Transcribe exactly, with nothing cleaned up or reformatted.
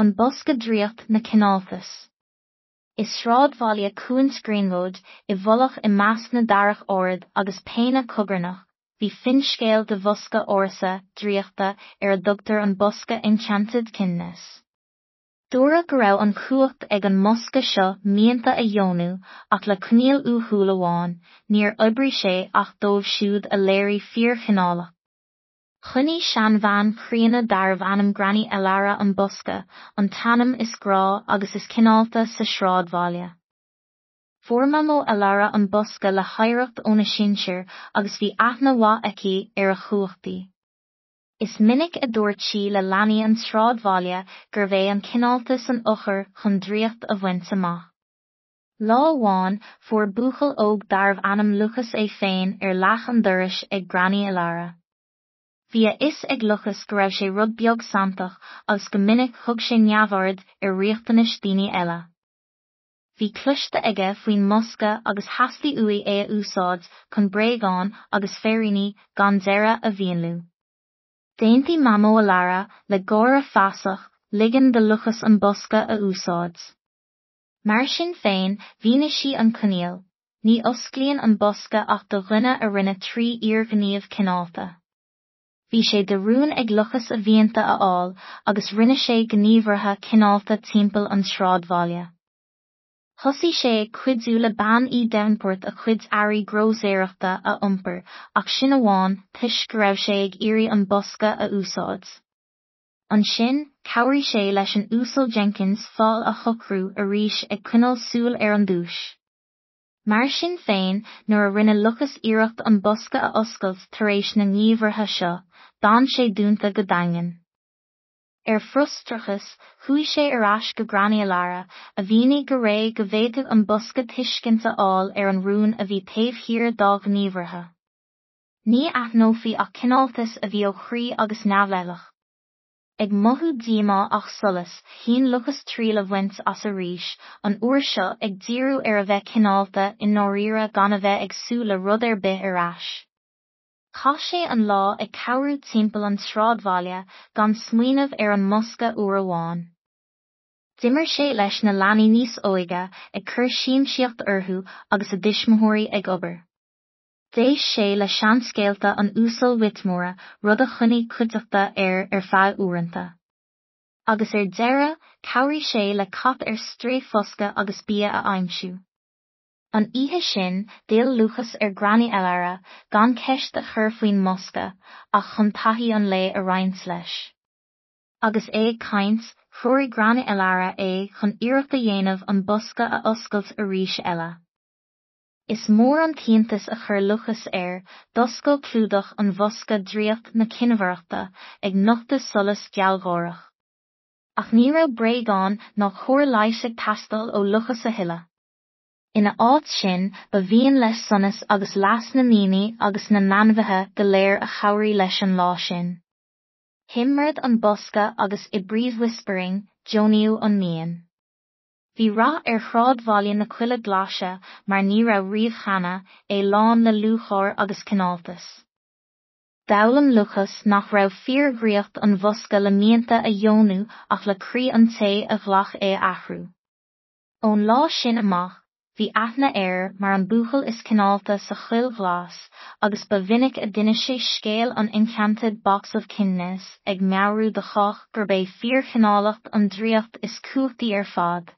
An bosca draíocht na cineáltas. I sráidbhaile Cuan Greenwood, i bhfolach i measc na darach ard agus péine cogarnach, bhí finscéal de bhosca ársa draíochta ar a dtugtar an bosca Enchanted Kindness. Dúradh go raibh an chumhacht ag an mbosca seo mianta a dheonú ach le coinníoll uathúil amháin, níor oibrigh sé ach dóibh siúd a léirigh fíorchineálacht. Choinnigh seanbhean chríonna darbh ainm Granny Elara an bosca, an t-ainm is grá agus is cineálta sa sráidbhaile. Fuair Mamó Elara an bosca le hoidhreacht óna sinsir agus bhí aithne mhaith aici ar a chumhachtaí. Is minic a dúirt sí le leanaí an tsráidbhaile gurbh é an cineáltas an eochair chun draíocht a bhaint amach. Lá amháin fuair buachaill óg darbh ainm Lucas é féin ar leac an dorais ag Granny Elara. Bhí a fhios ag Lucas go raibh sé rud beag santach agus go minic thug sé neamhaird ar riachtanais daoine eile. Bhí cloiste aige faoin mbosca agus theastaigh uaidh é a úsáid chun bréagáin agus féiríní gan deireadh a mhúnlú. D'aontaigh Mamó Elara le gáire feasach ligean do Lucas an bosca a úsáid. Mar sin féin, mhínigh sí an coinníoll, ní osclaíonn an bosca ach do dhuine a rinne trí fhíorghníomh cineálta. Bhí sé de rún ag Lucas a mhianta a fháil agus rinne sé gníomhartha cineálta timpeall an tsráidbhaile. Thosaigh sé ag cuidiú le bean Uí Davenport a cuid earraí grósaeireachta a iompar ach sin amháin toisc go raibh sé ag iarraidh an bosca a úsáid. Ansin, chabhraigh sé leis an Uasal Jenkins fál a shocrú arís ag coinneáil súil ar an duais. Mar sin féin, nuair a rinne Lucas iarracht an bosca a oscailt tar éis na ngníomhartha seo, d'fhan sé dúnta go daingean. Ar frustrachas, chuaigh sé ar ais go Granny Elara, a mhínigh go réidh go bhféadfadh an bosca tuiscint a fháil ar an rún a bhí taobh thiar dá ghníomhartha. Ní aithneofaí ach cineáltas a bhí ó chroí agus neamhleithleach. Ag mothú díomá ach solas, chinn Lucas triail a bhaint as arís, an uair seo ag díriú ar a bheith cineálta i ndáiríre gan a bheith ag súil le rud ar bith ar ais. Chaith sé an lá ag cabhrú timpeall an tsráidbhaile gan smaoineamh ar an mbosca uair amháin. D'imir sé leis na leanaí níos óige ag cur siamsaíocht orthu agus a dtuismitheoirí ag obair. D'éist sé le seanscéalta an Uasail Whitmore, rud a choinnigh cuideachta air ar feadh uaireanta. Agus ar deireadh, chabhraigh sé le cat ar strae foscadh agus bia a aimsiú. An oíche sin, d'fhill Lucas ar Granny Elara gan ceist a chur faoin mbosca ach chun taithí an lae a roinnt leis. Agus é ag caint, threoraigh Granny Elara é chun iarracht a dhéanamh an bosca a oscailt arís eile. Is mór an t-iontas a chuir Lucas air, d'oscail clúdach an bhosca draíocht na cinnmhaireachta ag nochtadh solas gealgháireach. Ach ní raibh bréagáin ná cóir leighis ag teastáil ó Lucas a thuilleadh. Ina áit sin, ba mhian leis sonas agus leas na ndaoine agus na n-ainmhithe go léir a chabhraigh leis an lá sin. Thimread an bosca agus i brief whispering, deonaíodh an mian. Bhí rath ar shráidbhaile na Coille Glaise mar ní raibh riamh cheana, é lán le lúcháir agus cineáltas. D'fhoghlaim Lucas nach raibh fíordhraíocht an bhosca le mianta a dheonú ach le croí an té a ghlac é a athrú. Ón lá sin amach, bhí aithne air mar an buachaill is cineálta sa choill ghlas agus ba mhinic a d'inis sé scéal an Enchanted Box of Kindness ag meabhrú do chách gurb é fíorchineálacht an draíocht is cumhachtaí ar fad.